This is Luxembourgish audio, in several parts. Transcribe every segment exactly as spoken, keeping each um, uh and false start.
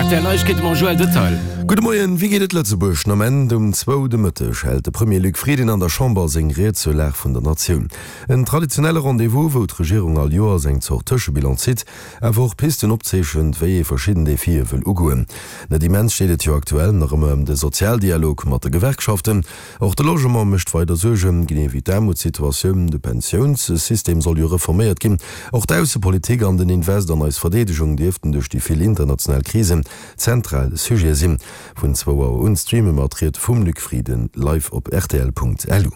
R T L Neiegkeete mam Joël Detail. Gudde Moien, Wéi geet et Lëtzebuerg? Den Ament um zwou de Mëtteg hält de Premier Luc Frieden an der Chamber seng Ried zur Lag vun der Natioun. En traditionelle Rendez-vous, wou d'Regierung all Joers eng Zort Tëschebilan zitt, awer och Pisten opzeechent, wéi ee verschidden Defie wëll ugoen. Net immens steet et jo aktuell nach ëmmer ëm de Sozialdialog mat de Gewerkschaften. Och de Logement mécht weider Suergen, genee wéi d'Aarmutssituatioun. De Pensiounssystem soll jo reforméiert ginn. Och d'Aussepolitik an den Invest an eis Verdeedegung dierften duerch déi vill international Krisen zentral Sujete sinn. Vun zwou Auer un streame mer d'Ried vum Luc Frieden live op rtl.lu.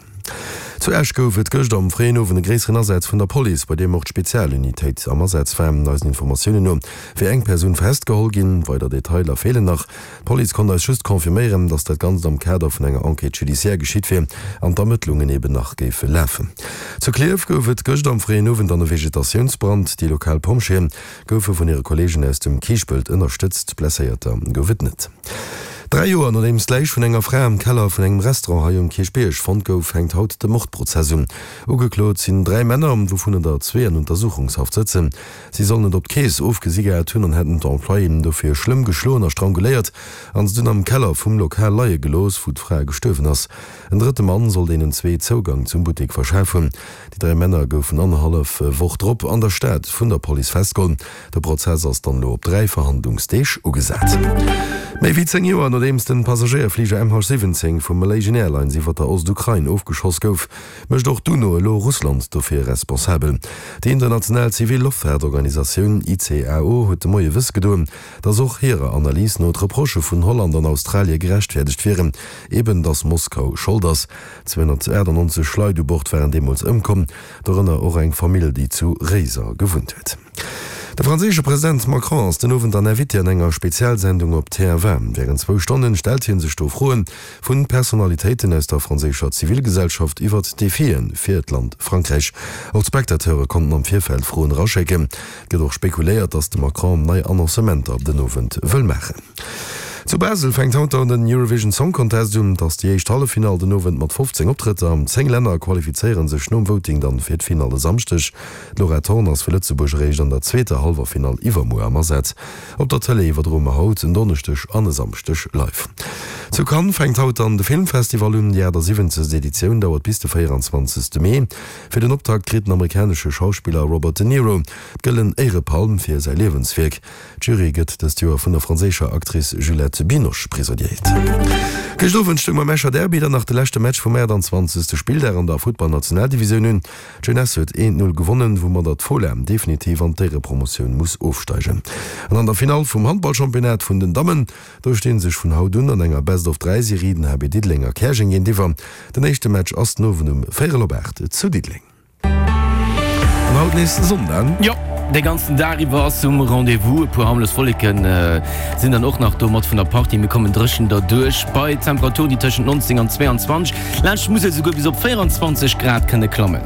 Zu Esch gouf et gëscht am fréien Owend e gréisseren Asaz vun der Police, bei deem och d'Spezialunitéit am Asaz war. Eisen Informatiounen no wier eng Persoun festgeholl ginn, weider Detailer feelen nach. D'Police konnt eis just confirméieren, datt dat Ganzt am Kader vun enger Enquête judiciaire geschitt wier an d'Ermëttlungen eben nach géife lafen. Zu Klierf gouf et gëscht am fréien Owend an e Vegetatiounsbrand. Déi lokal Pompjeeë goufe vun hire Kolleegen aus dem Kiischpelt ënnerstëtzt, Blesséierter gouf et net. Dräi Joer nodeems d'Läich vun enger Fra am Keller vun engem Restaurant hei um Kierchbierg fonnt gouf, hänkt haut de Mordprozess un. Ugeklot sinn dräi Männer, wouvunner der zwee an Untersuchungshaft sëtzen. Si sollen et op d'Keess ofgesi gehat hunn an hätten d'Employéen dofir schlëmm geschloen a stranguléiert an se dunn am Keller vum Lokal leie gelooss, wou d'Fra gestuerwen ass. En drëtte Mann soll deenen zwee Zougang zum Buttek verschaf hunn. Déi dräi Männer goufen annerhallef Woch drop an der Stad vun der Police festgeholl. De Prozess ass dann elo op dräi Verhandlungsdeeg ugesat. Méi wéi zéng Joer nodeems den Passagéierfliger M H siwwenzéng vu Malaysian Airlines iwwer der Ostukrain ofgeschoss gouf, mécht och d'UNO elo Russland dofir responsabel. Déi international zivil Loftfaartorganisatioun I C A O huet de Moie wëss gedoen, datt och hirer Analys no d'Reprochë vun Holland an Australie gerechtfäerdegt wieren, eben datt Moskau Schold ass. zweehonnertachtannonzeg Leit u Bord waren deemools ëmkomm, dorënner och eng Famill, déi zu Réiser gewunnt huet. De franséische President Macron ass den Owend an Invité an enger Spezialsendung op T F un. Wärend zwou Stonnen stellt hie sech do Froe vu Personalitéiten aus der franséischer Zivilgesellschaft iwwert d'Defie fir d'Land Frankräich. Och d'Spectateure konnten am Virfeld Froen eraschécken. Et gëtt och spekuléiert, datt de Macron nei Annoncementer den Owend wëll maachen. Zu Basel fänkt haut dann den Eurovision Song Contest un. Et ass déi éischt Halleffinall den Owend mat fofzéng Optrëtter. Zéng Länner qualifizéiere sech nom Voting dann fir d'Finall e Samschdeg. D'Laura Thorn ass fir Lëtzebuerg eréischt an der zweeter Hallwerfinall iwwermuer am Asaz. Op der Tëlee iwwerdroe mer haut en Donneschdeg an e Samschdeg live. Zu Cannes fänkt haut dann de Filmfestival un. Déi achtasiwwenzegst Editioun dauert bis de véieranzwanzegste Mee. Fir den Optakt kritt den amerikanesche Schauspiller Robert De Niro d'Gëllen Éierepalm fir säi Liewenswierk. D'Jury gëtt dëst Joer vun der franséischer Actrice Juliette Binoche presidéiert. Gëscht Owend stoung beim Escher Derby dann nach de leschte Match vum achttanzwanzegste Spilldag an der Futtball-Nationaldivisioun un. D'Jeunesse huet eent Null gewonnen, woumadder d'Fola definitiv an d'Éierepromotioun muss ofsteigen. An an der Finall vum Handballchampionnat vun den Dammen, do sti sech vun haut un an enger Best-of-dräi-Serie den H B Diddeleng a Käerjeng géintiwwer. Den éischte Match ass den Owend um véierel op aacht zu Diddeleng. An haut nees Sonn. Jo, de ganzen Dag iwwer ass um Rendez-vous. E puer harmlos Wolleken sinn dann och nach do mat vun der Partie. Mir kommen dréchen derduerch bei Temperaturen, déi tëschent neunzéng an zweiundzwanzeg, laanscht d'Musel esouguer bis op véierundzwanzeg Grad kënne klammen.